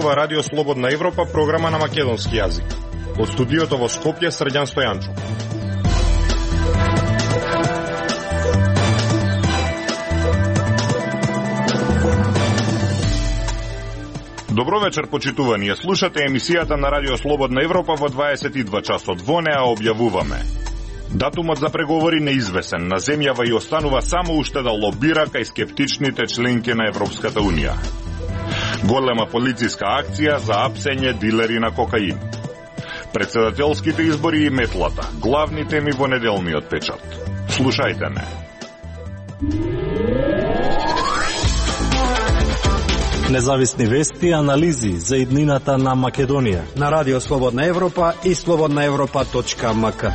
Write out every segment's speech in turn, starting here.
зборува Радио Слободна Европа, програма на македонски јазик. Од студиото во Скопје, Срđan Стојанчов. Добро вечер, почитувани. Ја слушате емисијата на Радио Слободна Европа во 22 часот. Во неа објавуваме: датумот за преговори неизвесен, на земјава и останува само уште да лобира кај скептичните членки на Европската Унија. Голема полициска акција за апсење дилери на кокаин. Председателските избори и метлата, главни теми во неделниот печат. Слушајте не. Независни вести и анализи за иднината на Македонија на Радио Слободна Европа и slobodnaevropa.mk.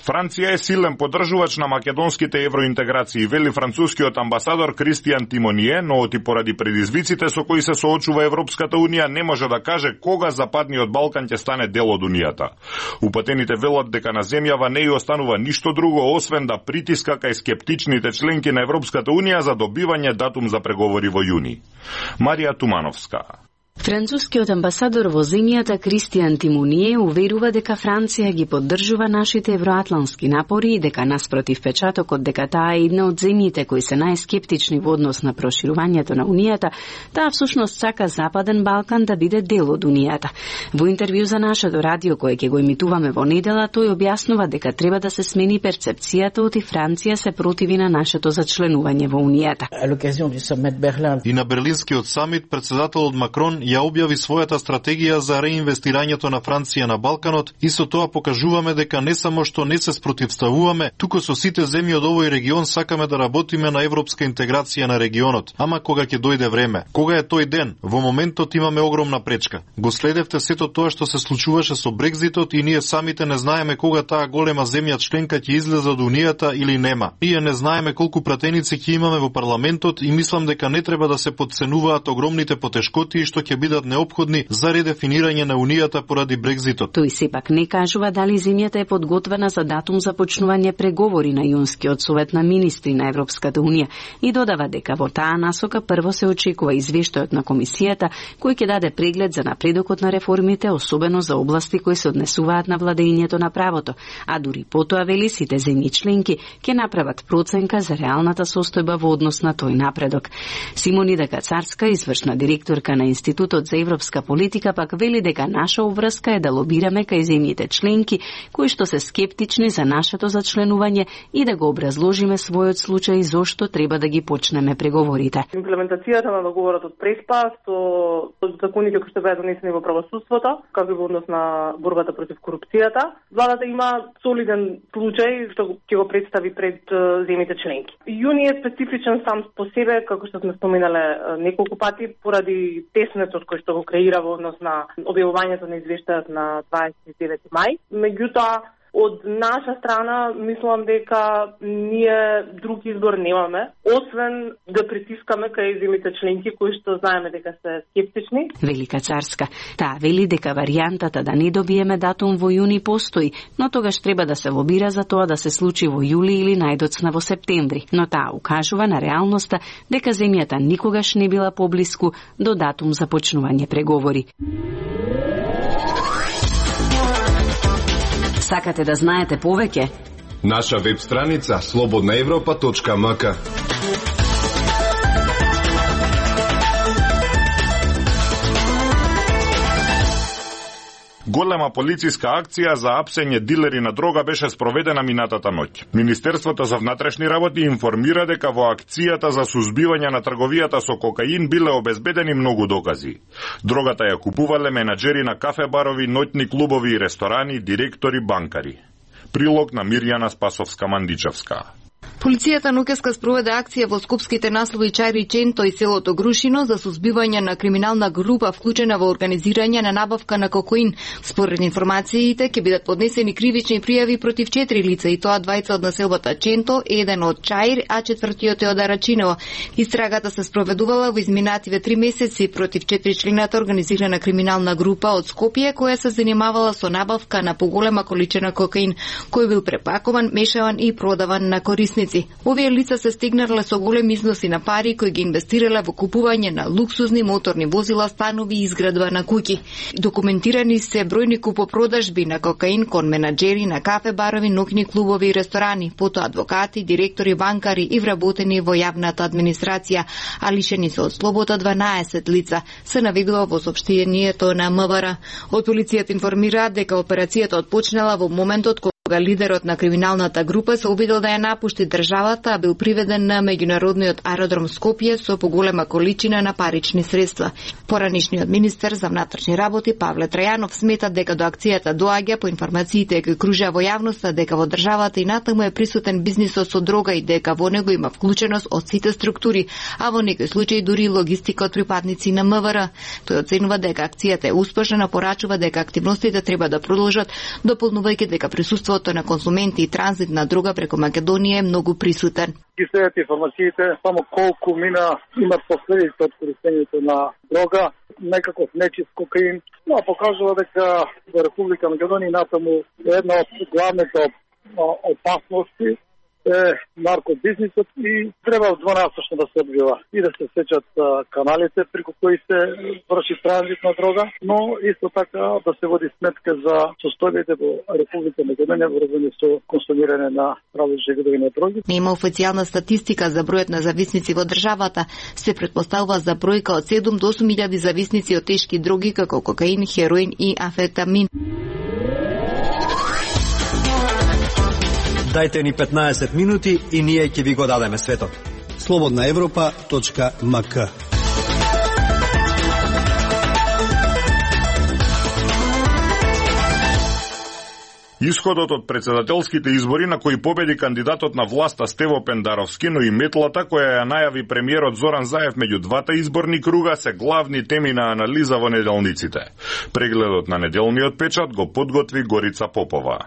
Франција е силен поддржувач на македонските евроинтеграции, вели францускиот амбасадор Кристијан Тимоние, но оти поради предизвиците со кои се соочува Европската Унија не може да каже кога Западниот Балкан ќе стане дел од Унијата. Упатените велат дека на земјава не ја останува ништо друго освен да притиска кај скептичните членки на Европската Унија за добивање датум за преговори во јуни. Марија Тумановска. Францускиот амбасадор во земјата Кристијан Тимоние уверува дека Франција ги поддржува нашите евроатлански напори и дека наспротив печатокот дека таа е една од земјите кои се најскептични во однос на проширувањето на Унијата, таа всушност сака Западен Балкан да биде дел од Унијата. Во интервју за нашето радио кое ќе го емитуваме во недела, тој објаснува дека треба да се смени перцепцијата оти Франција се противи на нашето зачленување во Унијата. И на Берлинскиот самит председателот Макрон ја објави својата стратегија за реинвестирањето на Франција на Балканот и со тоа покажуваме дека не само што не се спротивставуваме, туку со сите земји од овој регион сакаме да работиме на европска интеграција на регионот. Ама кога ќе дојде време? Кога е тој ден? Во моментот имаме огромна пречка. Го следевте сето тоа што се случуваше со Брекзитот и ние самите не знаеме кога таа голема земја членка ќе излезе од Унијата или нема. Ние не знаеме колку пратеници ќе имаме во парламентот и мислам дека не треба да се потценуваат огромните потешкоти што ќе бидат неопходни за редефинирање на Унијата поради Брекзитот. Тој сепак не кажува дали земјата е подготвена за датум за почнување преговори на јунскиот совет на министри на Европската Унија и додава дека во таа насока прво се очекува извештајот на комисијата кој ќе даде преглед за напредокот на реформите, особено за области кои се однесуваат на владењето на правото, а дури потоа вели сите земји членки ќе направат проценка за реалната состојба во однос на тој напредок. Симонида Кацарска, извршна директорка на Институтот за европска политика, пак вели дека наша обврска е да лобираме кај земјите членки кои што се скептични за нашето зачленување и да го образложиме својот случај зошто треба да ги почнеме преговорите. Имплементацијата на договорот од Преспа со законите кои што беа донесени во правосудството, како и во однос на борбата против корупцијата, владата има солиден случај што ќе го представи пред земјите членки. Јуни е специфичен сам по себе, како што сме споменале неколку пати, поради теснетот кој што го креира во однос на објавувањето на извештајот на 29 мај. Меѓутоа, од наша страна, мислам дека ние друг избор немаме, освен да притискаме кај земјите членки кои што знаеме дека се скептични. Велика Царска. Таа вели дека варијантата да не добиеме датум во јуни постои, но тогаш треба да се лобира за тоа да се случи во јули или најдоцна во септември. Но таа укажува на реалноста дека земјата никогаш не била поблиску до датум за почнување преговори. Сакате да знаете повеќе? Наша веб страница slobodnaevropa.mk. Голема полициска акција за апсење дилери на дрога беше спроведена минатата ноќ. Министерството за внатрешни работи информира дека во акцијата за сузбивање на трговијата со кокаин биле обезбедени многу докази. Дрогата ја купувале менаџери на кафе-барови, ноќни клубови и ресторани, директори, банкари. Прилог на Мирјана Спасовска-Мандичевска. Полицијата ноќеска спроведе акција во скопските наслови Чајри Ченто и селото Грушино за сузбивање на криминална група вклучена во организирање на набавка на кокаин. Според информациите ќе бидат поднесени кривични пријави против 4 лица и тоа двајца од населбата Ченто, еден од Чајр, а четвртиот е од Арачиново. Истрагата се спроведувала во изминативе 3 месеци против 4-члената организирана криминална група од Скопје која се занимавала со набавка на поголема количина кокаин, кој бил препакуван, мешаван и продаван на корисници. зависници. Овие лица се стигнале со големи износи на пари кои ги инвестирале во купување на луксузни моторни возила, станови и изградба на куќи. Документирани се бројни купопродажби на кокаин кон менаџери на кафе барови, ноќни клубови и ресторани, потоа адвокати, директори, банкари и вработени во јавната администрација, а лишени се од слобода 12 лица, се наведува во соопштението на МВР. Од полицијата информираат дека операцијата отпочнала во моментот кога лидерот на криминалната група се обидел да ја напушти државата, а бил приведен на меѓународниот аеродром Скопје со поголема количина на парични средства. Поранишниот министер за внатрешни работи Павле Трајанов смета дека до акцијата доаѓа по информациите кои кружа во јавноста дека во државата и натаму е присутен бизнисот со дрога и дека во него има вклученост од сите структури, а во некои случаи дури логистика од припадници на МВР. Тој оценува дека акцијата е успешна, но порачува дека активностите треба да продолжат, дополнувајќи дека присуството на консументи и транзит на дрога преку Македонија е многу присутен. Ги следат информациите само колку мина имат последици од користењето на дрога, некаков нечист кокаин, но покажува дека во Република Македонија натаму една од главните опасности е наркобизнисот и треба двонасочно да се одвива и да се сечат каналите преку кои се врши транзит на дрога, но исто така да се води сметка за состојбите во Република Македонија врзани со консумирање на различни видови на дроги. Нема официјална статистика за бројот на зависници во државата. Се претпоставува за бројка од 7 до 8.000 зависници од тешки дроги како кокаин, хероин и амфетамин. Дайте ни 15 минути и ние ќе ви го дадеме светот. slobodnaevropa.mk. Исходот од председателските избори на кои победи кандидатот на власта Стево Пендаровски, но и метлата која ја најави премиерот Зоран Заев меѓу двата изборни круга се главни теми на анализа во неделниците. Прегледот на неделниот печат го подготви Горица Попова.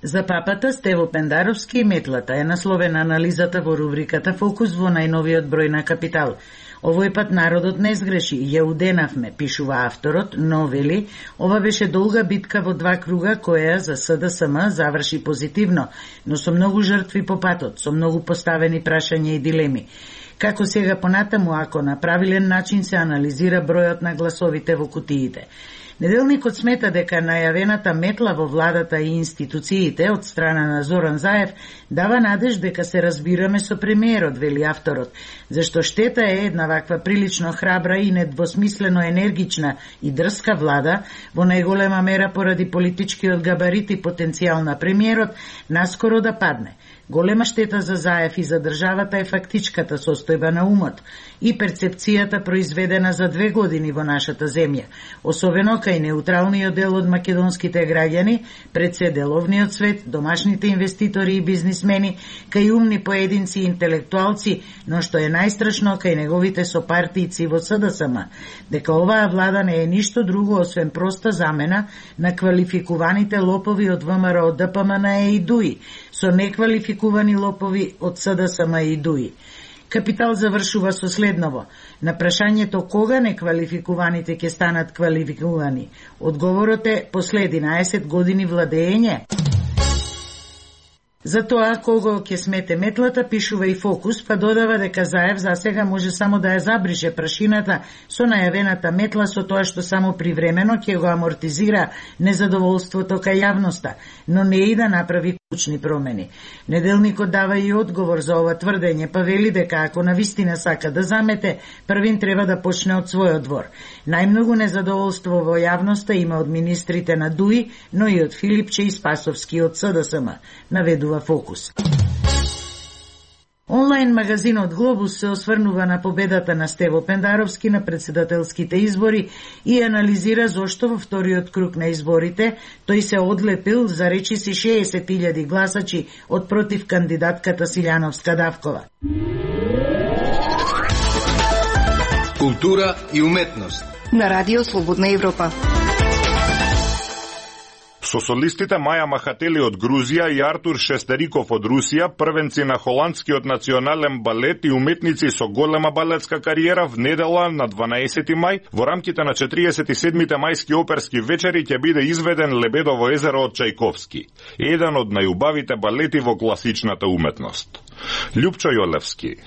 За папата Стево Пендаровски и метлата е насловена анализата во рубриката Фокус во најновиот број на Капитал. Овој пат народот не сгреши, ја уденавме, пишува авторот, но вели, ова беше долга битка во два круга која за СДСМ заврши позитивно, но со многу жртви по патот, со многу поставени прашања и дилеми. Како сега понатаму, ако на правилен начин се анализира бројот на гласовите во кутиите. Неделникот смета дека најавената метла во владата и институциите од страна на Зоран Заев дава надеж дека се разбираме со премиерот, вели авторот, зашто штета е една ваква прилично храбра и недвосмислено енергична и дрска влада, во најголема мера поради политичкиот габарит и потенцијал на премиерот, наскоро да падне. Голема штета за Заев и за државата е фактичката состојба на умот и перцепцијата произведена за 2 години во нашата земја, особено кај неутралниот дел од македонските граѓани, пред се деловниот свет, домашните инвеститори и бизнисмени, кај умни поединци и интелектуалци, но што е најстрашно кај неговите сопартијци во СДСМ, дека оваа влада не е ништо друго освен проста замена на квалификуваните лопови од ВМРО, ДПМН и ДУИ, со неквалификувани лопови од СДСМ и ДУИ. Капитал завршува со следново. На прашањето кога неквалификуваните ќе станат квалификувани, одговорот е после 11 години владење. За тоа кого ќе смете метлата, пишува и Фокус, па додава дека Заев за сега може само да ја забрише прашината со најавената метла, со тоа што само привремено ќе го амортизира незадоволството кај јавноста, но не и да направи клучни промени. Неделникот дава и одговор за ова тврдење, па вели дека ако навистина сака да замете, првин треба да почне од својот двор. Најмногу незадоволство во јавноста има од министрите на ДУИ, но и од Филипче и Спасовски од СДСМ, наведува Фокус. Онлайн магазинот Глобус се осврнува на победата на Стево Пендаровски на председателските избори и анализира зошто во вториот круг на изборите тој се одлепил за речиси 60.000 гласачи од против кандидатката Силјановска-Давкова. Култура и уметност на Радио Слободна Европа. Со солистите Маја Махатели од Грузија и Артур Шестериков од Русија, првенци на холандскиот национален балет и уметници со голема балетска кариера, в недела на 12 мај во рамките на 47-те мајски оперски вечери ќе биде изведен Лебедово езеро од Чајковски, еден од најубавите балети во класичната уметност. Љупчо Јолевски.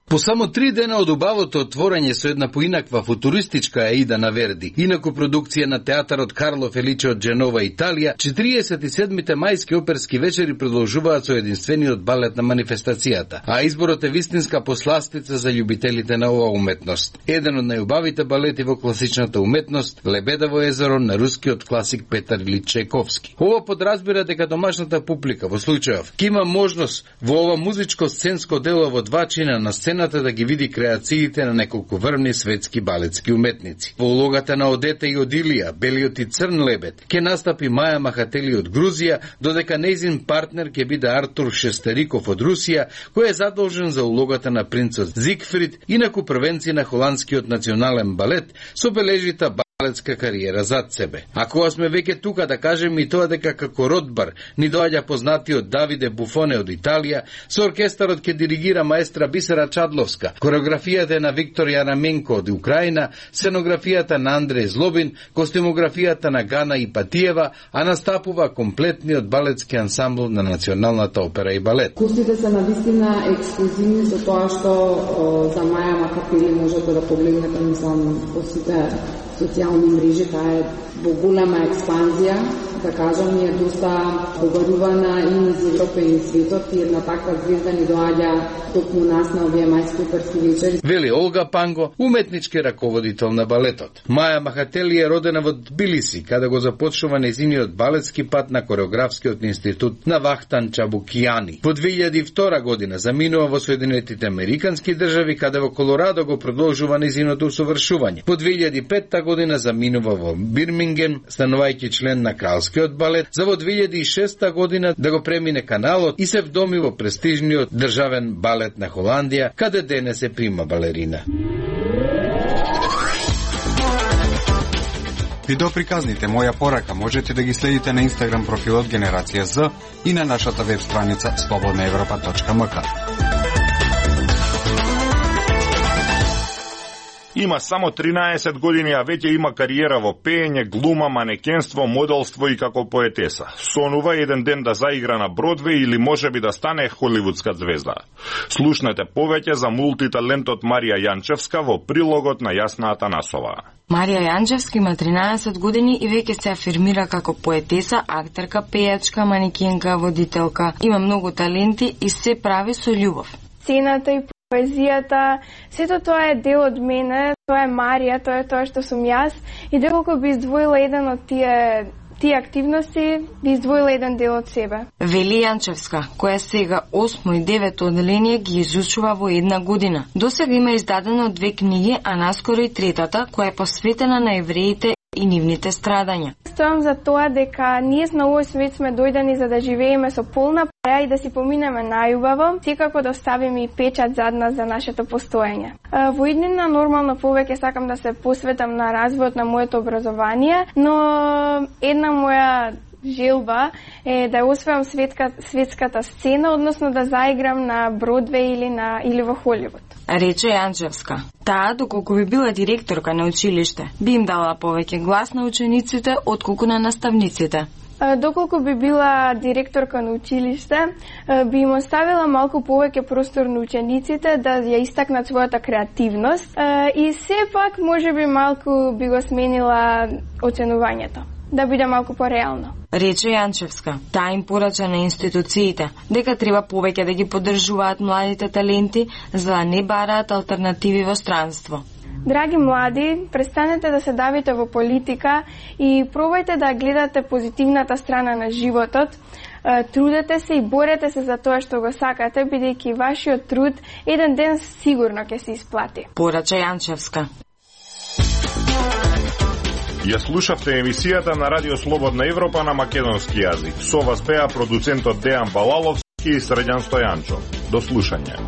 По само 3 дена од убавото отворање со една поинаква футуристичка Аида на Верди, инаку продукција на театарот Карло Феличе од Дженова, Италија, 47-те мајски оперски вечери продолжуваат со единствениот балет на манифестацијата, а изборот е вистинска посластица за љубителите на оваа уметност. Еден од најубавите балети во класичната уметност, Лебедово езеро на рускиот класик Петар Илич Чајковски. Ова подразбира дека домашната публика во случајов ќе има можност во ова музичко-сценско дело во два чина на сцена да ги види креациите на неколку врвни светски балетски уметници. Во улогата на Одета и Одилија, Белиот и Црн лебед, ќе настапи Маја Махатели од Грузија, додека нејзин партнер ќе биде Артур Шестериков од Русија, кој е задолжен за улогата на принцот Зигфрид, инаку првенци на холандскиот национален балет, со бележита балетска кариера зад себе. А кога сме веќе тука, да кажем и тоа дека како Ротбар ни доаѓа познатиот Давиде Буфоне од Италија, со оркестарот ќе диригира маестра Бисера Чадловска, кореографијата е на Виктор Јараменко од Украина, сценографијата на Андреј Злобин, костюмографијата на Гана Ипатиева, а настапува комплетниот балетски ансамбл на Националната опера и балет. Кустите се навистина ексклузивни со тоа што за Маја Махатели можете да погледнете, мислам, во сите социјални мрежи, таа е во голема експанзија, да кажам, ние доста побарувана и низ Европа и светот, и една таква звезда ни доаѓа токму нас на овие мајски оперски вечери. Вели Олга Панго, уметнички раководител на балетот. Маја Махатели е родена во Тбилиси, каде го започнува нејзиниот балетски пат на Кореографскиот институт на Вахтан Чабукијани. Во 2002 година заминува во Соединетите Американски држави, каде во Колорадо го продолжува нејзиното усовршување. Во 2005 година заминува во Бирмингем, станувајќи член на Кралскиот балет, за во 2006 година да го премине каналот и се вдоми во престижниот државен балет на Холандија, каде денес е прима балерина. Видеоприказните Моја порака можете да ги следите на Инстаграм профилот Генерација З и на нашата веб страница slobodnaevropa.mk. Има само 13 години, а веќе има кариера во пеење, глума, манекенство, моделство и како поетеса. Сонува еден ден да заигра на Бродвеј или можеби да стане холивудска звезда. Слушнете повеќе за мултиталентот Марија Јанчевска во прилогот на Јасна Атанасова. Марија Јанчевска има 13 години и веќе се афирмира како поетеса, актерка, пејачка, манекенка, водителка. Има многу таленти и се прави со љубов. Сцената и поезијата, сето тоа е дел од мене, тоа е Марија, тоа е тоа што сум јас и доколку би издвоила еден од тие активности, би издвоила еден дел од себе. Вели Јанчевска, која сега 8 и 9 одделение ги изучува во една година. Досега има издадено 2 книги, а наскоро и третата, која е посветена на евреите и нивните страдања. Стојам за тоа дека ние на овој свет сме дојдени за да живееме со полна пара и да си поминеме најубаво, секако да оставиме и печат зад нас за нашето постоење. Во иднина нормално повеќе сакам да се посветам на развојот на моето образование, но една моја желба е да освојам светската сцена, односно да заиграм на Бродвеј или во Холивуд. Рече Јанчевска. Таа, доколку би била директорка на училиште, би им дала повеќе глас на учениците отколку на наставниците. Доколку би била директорка на училиште, би им оставила малку повеќе простор на учениците да ја истакнат својата креативност и сепак можеби малку би го сменила оценувањето, да биде малку пореално. Рече Јанчевска. Таа им порача на институциите дека треба повеќе да ги поддржуваат младите таленти за да не бараат алтернативи во странство. Драги млади, престанете да се давите во политика и пробајте да гледате позитивната страна на животот. Трудете се и борете се за тоа што го сакате, бидејќи вашиот труд еден ден сигурно ќе се исплати. Порача Јанчевска. Ја слушавте емисијата на Радио Слободна Европа на македонски јазик. Со вас беа продуцентот Дејан Балаловски и Средјан Стојанчо. До слушање.